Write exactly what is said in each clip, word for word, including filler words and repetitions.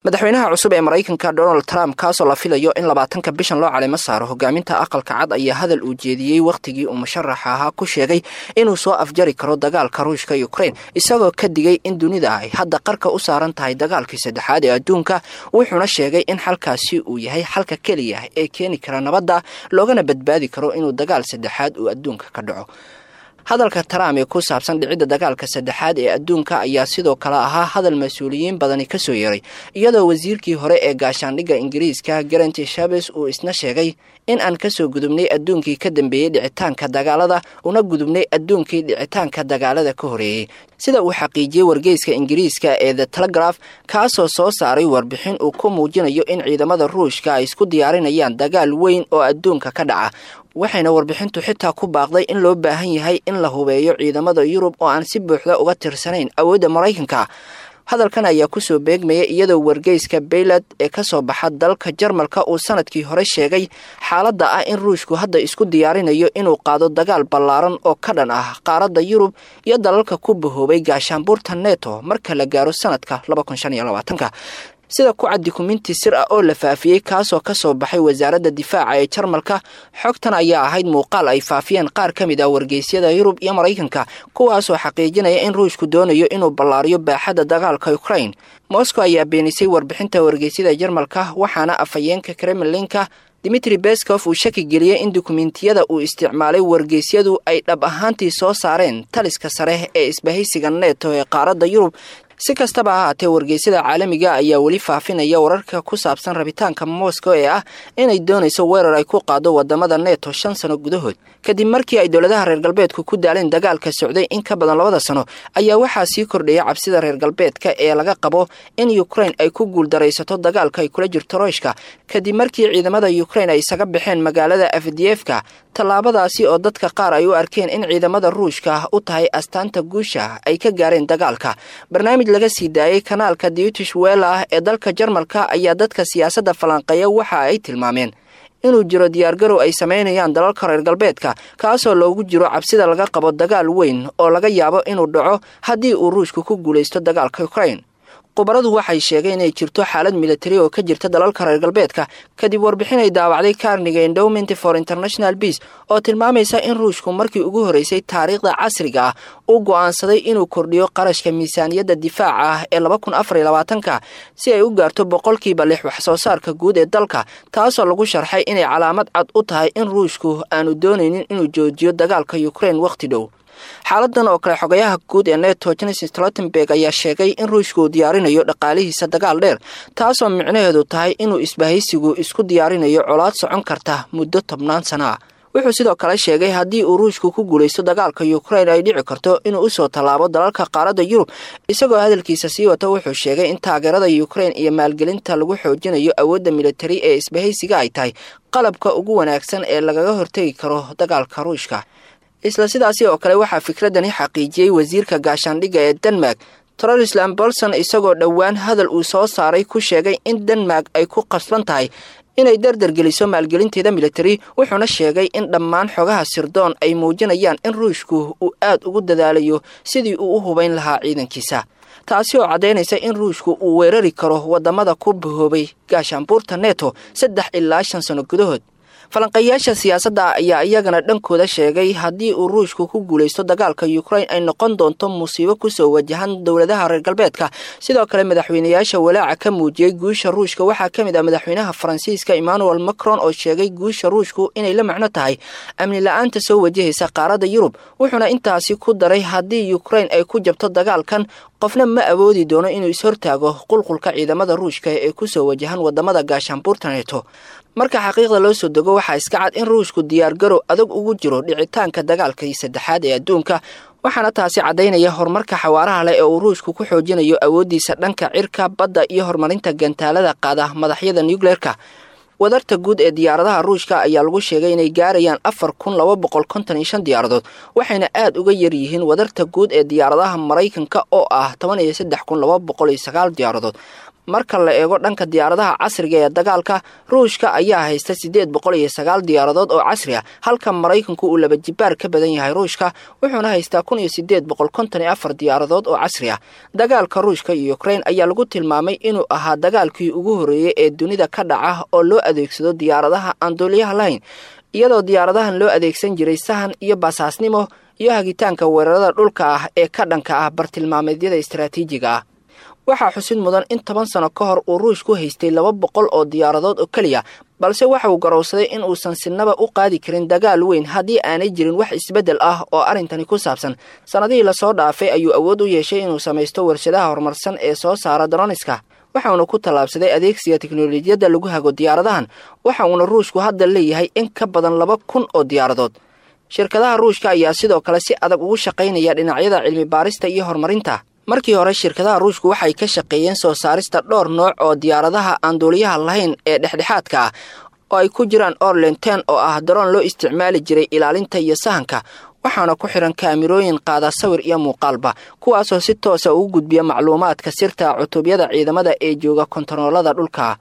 Madaxweynaha cusub ee Maraykanka Donald Trump, kaasoo la filayo in labaatanka bishan loo calimo saaro hogaaminta Aqalka Cad, ayaa hadal uu jeediyey wakhtigii uu musharaxa ahaa ku sheegay inuu soo afjari karo dagaalka Ruushka Ukraine, isagoo ka digay in dunida ay hadda qarka u saaran tahay dagaalkii saddexaad ee adduunka. Wuxuuna sheegay in xalkaasi uu yahay xalka keliya ee keeni kara nabadda, loogana badbaadi karo inuu dagaal saddexaad uu adduunka ka dhaco. Hadalka Trump ee ku saabsan dhicidda dagaalka saddexaad ee adduunka ayaa sidoo kale ahaa hadal mas-uuliyiin badani kasoo yeeray, iyadoo wasiirkii hore ee gaashaandhigga Ingiriiska Grant Shapps uu isna sheegay in aan kasoo gudubnay adduunkii ka dambeeyey dhicitaanka dagaalada, una gudubnay adduunkii dhicitaanka dagaalada ka horeeyey, sida uu xaqiijiyey wargeyska Ingiriiska ee The Telegraph, kaasoo soo saaray warbixin uu ku muujinayo in ciidamada Ruushka ay isku diyaarinayaan dagaal weyn oo adduunka ka dhaca. Waxayna warbixintu xitaa ku baaqday in loo baahan yahay in la hubeeyo ciidamada Yurub oo aan si buuxda uga tirsanayn awoodda Maraykanka. Hadalkan ayaa kusoo beegmaya iyadoo wargeyska Bild ee kasoo baxa dalka Jarmalka uu sanadkii hore sheegay xaaladda ah in Ruushku hadda isku diyaarinayo inuu qaado dagaal ballaaran oo ka dhan ah qaaradda Yurub iyo dalalka ku bahoobay gaashaanbuurta Neto marka la gaaro sanadka laba kun shan iyo labaatanka, sida ku cad dukuminti sir ah oo la faafiyey, kaasoo kasoo baxay wasaaradda difaaca ee Jarmalka. Xogtan ayaa ahayd muuqaal ay faafiyeen qaar ka mid ah wargeysyada Yurub iyo Maraykanka, kuwaasoo xaqiijinaya in Ruushku doonayo inuu ballaariyo baaxadda dagaalka Ukraine. Moscow ayaa beenisay warbixinta wargeysyada Jarmalka, waxaana afhayeenka Kremlinka Dimitri Peskov uu shaki geliyey in dukumentiyada uu isticmaalay wargeysyadu ay dhab ahaantii soo saareen taliska sare ee isbahaysiga Neto ee qaaradda Yurub. Si kastaba ha haatee, wargeysyada caalamiga ayaa weli faafinaya wararka ku saabsan rabitaanka Moscow ee ah inay doonayso weerar ay ku qaado wadamada Neto shan sano gudahood. Kadib markii ay dowladaha reer galbeedku ku daaleen dagaalka socday in ka badan labada sano, ayaa waxaa sii kordhaya cabsida reer galbeedka ee laga qabo in Ukraine ay ku guuldaraysato dagaalka ay kula jirto Ruushka, kadib markii ciidamada Ukraine ay isaga baxeen magaalada Avdiivka, tallaabadaasi oo dadka qaar ay u arkeen in ciidamada Ruushka u tahay astaanta guusha ay ka gaareen dagaalka. Barnaamij laga sii daayey kanaalka Deutsche Welle ee dalka Jarmalka ayaa dadka siyaasadda falanqeeya waxa ay tilmaameen inuu jiro diyaargarow ay samaynayaan dalalka reer galbeedka, kaasoo loogu jiro cabsida laga qabo dagaal weyn oo laga yaabo inuu dhaco haddii uu Ruushku ku guulaysto dagaalka Ukraine. Khubaradu waxay sheegeen inay jirto xaalad militari oo ka jirta dalalka reer galbeedka, kadib warbixin ay daawacday Carnegie Endowment for International Peace oo tilmaamaysa in Ruushku markii ugu horreysay taariikhda casriga ah uu go'aansaday inuu kordhiyo qarashka miisaaniyadda difaaca ah ee laba kun afar iyo labaatanka si ay u gaarto boqolkiiba lix wax soo saarka guud ee dalka, taasoo lagu sharxay inay calaamad cad u tahay in Ruushku aanu doonaynin inuu joojiyo dagaalka Ukraine wakhti dhow. Xaaladan oo kale, xogayaha guud ee Neto Jens Stoltenberg ayaa sheegay in Ruushku uu diyaarinayo dhaqaalihiisa dagaal dheer, taasoo micnaheedu tahay inuu isbahaysigu isku diyaarinayo colaad socon karta muddo tobnaan sana ah. Wuxuu sidoo kale sheegay haddii uu Ruushku ku guulaysto dagaalka Ukraine ay dhici karto inuu usoo tallaabo dalalka qaaradda Yurub. Isagoo hadalkiisa sii wata, wuxuu sheegay in taageerada Ukraine iyo maalgelinta lagu xoojinayo awoodda militari ee isbahaysiga ay tahay qalabka ugu wanaagsan ee lagaga hortegi karo dagaalka Ruushka. Isla sidaasi oo kale, waxaa fikradani xaqiijiyey wasiirka gaashaandhigga ee Denmark Troels Lund Poulsen, isagoo dhowaan hadal uu soo saaray ku sheegay in Denmark ay ku qasban tahay inay dardargeliso maalgelinteeda militari. Wuxuuna sheegay in dhammaan xogaha sirdoon ay muujinayaan in Ruushku uu aad ugu dadaalayo sidii uu u hubayn lahaa ciidankiisa, taasi oo caddaynaysa in Ruushku uu weerari karo wadamada ku bahoobay gaashaanbuurta Neto saddex ilaa shan sano gudahood. Falanqeeyaasha siyaasadda ayaa iyagana dhankooda sheegay haddii uu Ruushku ku guulaysto dagaalka Ukraine ay noqon doonto musiibo kusoo wajahan dowladaha reer galbeedka. Sidoo kale, madaxweynayaasha walaaca ka muujiyey guusha Ruushka waxaa ka mid ah madaxweynaha Faransiiska Emmanuel Macron, oo sheegay guusha Ruushku inay la macno tahay amni la-aanta soo wajahaysa qaaradda Yurub. Wuxuuna intaasi ku daray haddii Ukraine ay ku jabto dagaalkan, qofna ma awoodi doono inuu is-hortaago qulqulka ciidamada Ruushka ee kusoo wajahan wadamada gaashaanbuurta Neto. Marka xaqiiqda loo soo dego, waxaa iska cad in Ruushku diyaargarow adag ugu jiro dhicitaanka dagaalkii saddexaad ee adduunka, waxaana taasi caddaynaya horumarka xawaaraha leh ee uu Ruushku ku xoojinayo awooddiisa dhanka cirka, badda iyo horumarinta gantaalada qaada madaxyada nucleerka. Wadarta guud ee diyaaradaha Ruushka ayaa lagu sheegay inay gaarayaan afar kun laba boqol konton iyo shan diyaaradood, waxayna aad uga yar yihiin wadarta guud ee diyaaradaha Maraykanka oo ah toban iyo saddex kun laba boqol iyo sagaal diyaaradood. Marka la eego dhanka diyaaradaha casriga ee dagaalka, Ruushka ayaa haysta siddeed boqol iyo sagaal diyaaradood oo casri ah, halka Maraykanku uu laba jibaar ka badan yahay Ruushka, wuxuuna haystaa kun iyo siddeed boqol konton iyo afar diyaaradood oo casri ah. Dagaalka Ruushka iyo Ukraine ayaa lagu tilmaamay inuu ahaa dagaalkii ugu horreeyey ee dunida ka dhaca oo loo adeegsado diyaaradaha aan duuliyaha lahayn, iyadoo diyaaradahan loo adeegsan jiray sahan iyo basaasnimo iyo hagitaanka weerarada dhulka ah ee ka dhanka ah bartilmaameedyada istaraatiijiga ah. Waxaa xusid mudan in toban sano ka hor uu Ruushku haystay laba boqol oo diyaaradood oo keliya, balse waxa uu garowsaday in uusan sinaba u qaadi karin dagaal weyn haddii aanay jirin wax isbeddel ah oo arrintani ku saabsan. Sannadihii lasoo dhaafay ayuu awood u yeeshay inuu samaysto warshadaha horumarsan ee soo saara droniska, waxauna ku tallaabsaday adeegsiga teknolojiyadda lagu hago diyaaradahan. Waxa uuna Ruushku hadda leeyahay in ka badan laba kun oo diyaaradood. Shirkadaha Ruushka ayaa sidoo kale si adag ugu shaqaynaya dhinacyada cilmi baarista iyo horumarinta. Markii hore shirkadaha Ruushku waxay ka shaqeeyeen soo saarista dhowr nooc oo diyaaradaha aan duuliyaha lahayn ee dhexdhexaadka ah, oo ay ku jiraan Orlan ten oo ah daroon loo isticmaali jiray ilaalinta iyo sahanka, waxaana ku xiran kaamirooyin qaada sawir iyo muuqaalba, kuwaasoo si toosa ugu gudbiya macluumaadka sirta cutubyada ciidamada ee jooga kontaroolada dhulka.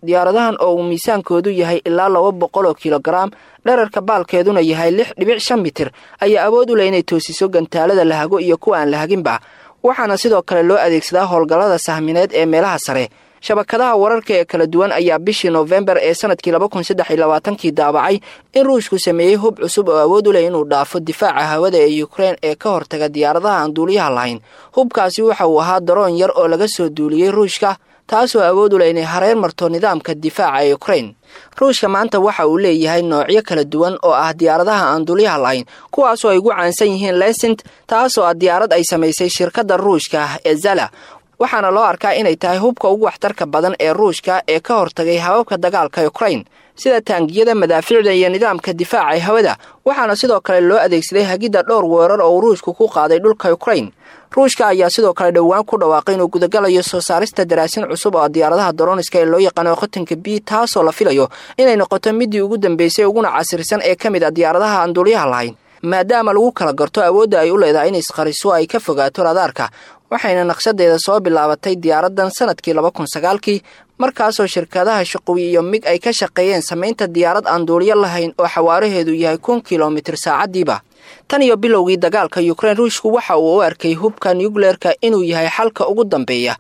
Diyaaradahan oo uu miisaankoodu yahay ilaa laba boqol oo kilogaram, dherarka baalkeeduna yahay lix dhibic shan mitir, ayaa awood u leh inay toosiso gantaalada la hago iyo kuwa aan la haginba, waxaana sidoo kale loo adeegsadaa howlgallada sahmineed ee meelaha sare. Shabakadaha wararka ee kala duwan ayaa bishii Noofembar ee sanadkii laba kun saddex iyo labaatankii daabacay in Ruushku sameeyey hub cusub oo awood u leh inuu dhaafo difaaca hawada ee Ukraine ee ka hortaga diyaaradaha aan duuliyaha lahayn. Hubkaasi waxa uu ahaa daroon yar oo laga soo duuliyey Ruushka, taasoo awood u leh inay hareer marto nidaamka difaaca ee Ukraine. Ruushka maanta waxa uu leeyahay noocyo kala duwan oo ah diyaaradaha aan duuliyaha lahayn, kuwaasoo ay ugu caansan yihiin Lesint, taasoo ah diyaarad ay samaysay shirkadda Ruushka ee Zala, waxaana loo arkaa inay tahay hubka ugu waxtarka badan ee Ruushka ee ka hortagay hababka dagaalka Ukraine, sida taangiyada, madaafiicda iyo nidaamka difaaca ee hawada. Waxaana sidoo kale loo adeegsaday hagidda dhowr weerar oo Ruushku ku qaaday dhulka Ukraine. Ruushka ayaa sidoo kale dhowaan ku dhawaaqay inuu gudagalayo soo saarista daraasin cusub oo diyaaradaha droniska ee loo yaqaano Khotanka B, taasoo la filayo inay noqoto midii ugu dambeysay uguna casrisan ee ka mid ah diyaaradaha aan duuliyaha lahayn, maadaama lagu kala garto awoodda ay u leedahay in isqariso ay ka fogaato radaarka. Waxayna naqshadeeda soo bilaabatay diyaaradan sanadkii laba kun sagaalkii, markaasoo shirkadaha Shaqowi iyo Mig ay ka shaqeeyeen samaynta diyaarad aan duuliyo lahayn oo xawaaraheedu yahay kun kilomitir saacadiiba. Tan iyo bilowgii dagaalka Ukraine, Ruushku waxa uu u arkay hubka nucleerka inuu yahay xalka ugu dambeeya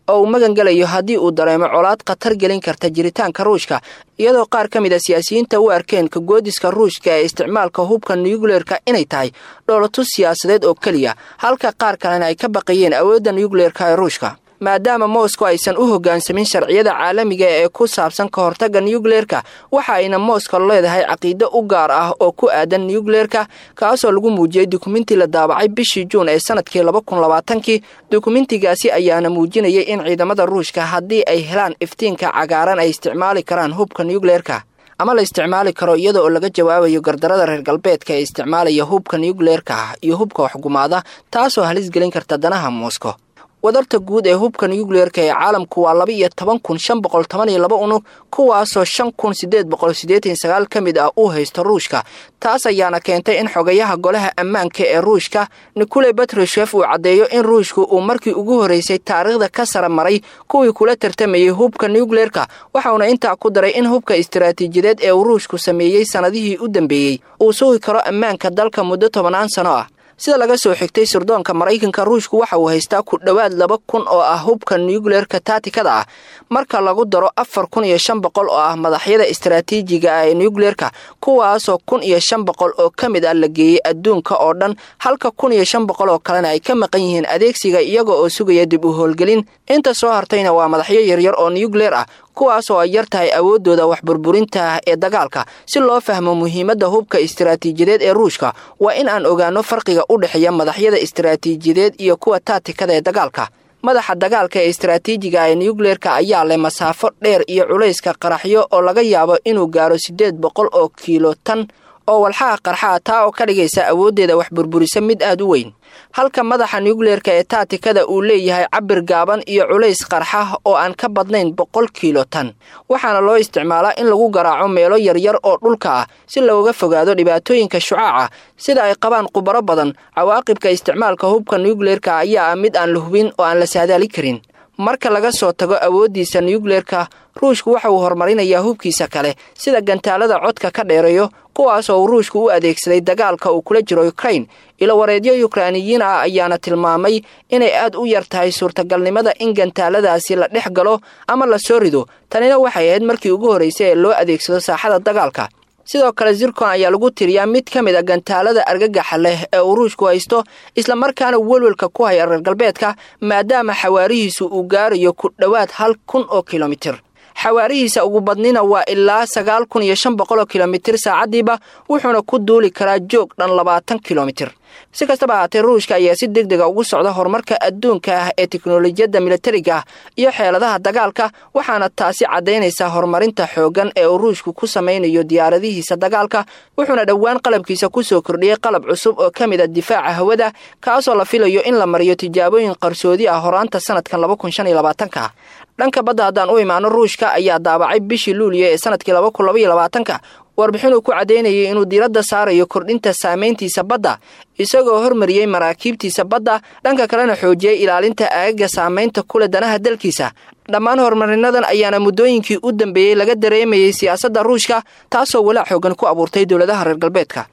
oo uu magangelayo haddii uu dareemo colaad khatar gelin karta jiritaanka Ruushka, iyadoo qaar ka mid a siyaasiyiinta u arkeen kagoodiska Ruushka ee isticmaalka hubka nucleerka inay tahay dhoolatus siyaasadeed oo keliya, halka qaar kalena ay ka baqayeen awoodda nucleerka ee Ruushka. Maadaama Moscow aysan u hoggaansamin sharciyada caalamiga ee ku saabsan ka hortagga nucleerka, waxa ayna Moscow leedahay caqiido u gaar ah oo ku aadan nucleerka, kaasoo lagu muujiyey dukumenti la daabacay bishii Juun ee sanadkii laba kun labaatankii. Dukumentigaasi ayaana muujinayay in ciidamada Ruushka haddii ay helaan iftiinka cagaaran ay isticmaali karaan hubka nucleerka, ama la isticmaali karo iyada oo laga jawaabayo gardarada reer galbeedka ee isticmaalaya hubka nucleerka iyo hubka waxgumaada, taasoo halis gelin karta danaha Moscow. Wadarta guud ee hubka nucleerka ee caalamku waa laba iyo toban kun shan boqol toban iyo laba unug, kuwaasoo shan kun siddeed boqol siddeetan sagaal ka mid ah uu haysto Ruushka. Taas ayaana keentay in xogayaha golaha ammaanka ee Ruushka Nikolai Patrushev uu caddeeyo in Ruushku uu markii ugu horreysay taariikhda ka sara maray kuwii kula tartamayey hubka nucleerka, waxauna intaa ku daray in hubka istaraatiijiyadeed ee uu Ruushku sameeyey sannadihii u dambeeyey uu sugi karo ammaanka dalka muddo tobanaan sano ah. Sida laga soo xigtay sirdoonka Maraykanka, Ruushku waxa uu haystaa ku dhowaad laba kun oo ah hubka nucleerka taatikada ah, marka lagu daro afar kun iyo shan boqol oo ah madaxyada istaraatiijiga ah ee nucleerka, kuwaasoo kun iyo shan boqol oo ka mid ah la geeyey adduunka oo dhan, halka kun iyo shan boqol oo kalena ay ka maqan yihiin adeegsiga iyaga oo sugaya dib u howlgelin. Inta soo hartayna waa madaxyo yaryar oo nucleer ah, kuwaasoo ay yar tahay awooddooda wax burburinta ee dagaalka. Si loo fahmo muhiimadda hubka istaraatiijiyadeed ee Ruushka, waa in aan ogaano farqiga u dhexeeya madaxyada istaraatiijiyadeed iyo kuwa taatikada ee dagaalka. Madaxa dagaalka ee istaraatiijiga ee nucleerka ayaa leh masaafo dheer iyo culayska qaraxyo oo laga yaabo inuu gaaro siddeed boqol oo kiilo tan oo walxaha qarxaa, taa oo ka dhigaysa awooddeeda wax burburisa mid aad u weyn, halka madaxa nucleerka ee taatikada uu leeyahay cabir gaaban iyo culays qarxa oo aan ka badnayn boqol kiilo tan. Waxaana loo isticmaalaa in lagu garaaco meelo yaryar oo dhulka ah si looga fogaado dhibaatooyinka shucaaca. Sida ay qabaan khubaro badan, cawaaqibka isticmaalka hubka nucleerka ayaa ah mid aan la hubin oo aan la saadaali karin. Marka laga soo tago awooddiisa nuyukleerka, Ruushku waxa uu horumarinayaa hubkiisa kale sida gantaalada codka ka dheereeyo, kuwaas oo uu Ruushku u adeegsaday dagaalka uu kula jiro Ukrain. Ilowareedyo Yukrainiyiin ah ayaana tilmaamay inay aad u yar tahay suurtagalnimada in gantaaladaasi la dhex galo ama la soo rido. Tanina waxay ahayd markii ugu horraysay ee loo adeegsado saaxada dagaalka. Sidoo kale Zircon ayaa lagu tiriyaa mid ka mid a gantaalada argagaxa leh ee uu Ruushku haysto, islamarkaana welwelka ku haya reer galbeedka, maadaama xawaarihiisu uu gaarayo ku dhowaad hal kun oo kilomitir. Xawaarihiisa ugu badnina waa ilaa sagaal kun iyo shan boqol oo kilomitir saacaddiiba, wuxuuna ku duuli karaa joog dhan labaatan kilomitir. Si kastaba ahaatee, Ruushka ayaa si deg dega ugu socda horumarka adduunka ah ee teknolojiyadda militariga ah iyo xeeladaha dagaalka, waxaana taasi caddaynaysaa horumarinta xooggan ee uu Ruushku ku samaynayo diyaaradihiisa dagaalka. Wuxuuna dhowaan qalabkiisa kusoo kordhiyey qalab cusub oo ka mid a difaaca hawada, kaasoo la filayo in la mariyo tijaabooyin qarsoodi ah horaanta sanadkan laba kun shan iyo labaatanka. Dhanka badda haddaan u imaano, Ruushka ayaa daabacay bishii Luuliyo ee sanadkii laba kun laba iyo labaatanka warbixin uu ku caddaynayay inuu diiradda saarayo kordhinta saamayntiisa badda, isagoo hormariyey maraakiibtiisa badda, dhanka kalena xoojiyey ilaalinta aagaga saamaynta kule danaha dalkiisa. Dhammaan horumarinadan ayaana muddooyinkii u dambeeyey laga dareemayey siyaasadda Ruushka, taasoo walaac xoogan ku abuurtay dowladaha reer galbeedka.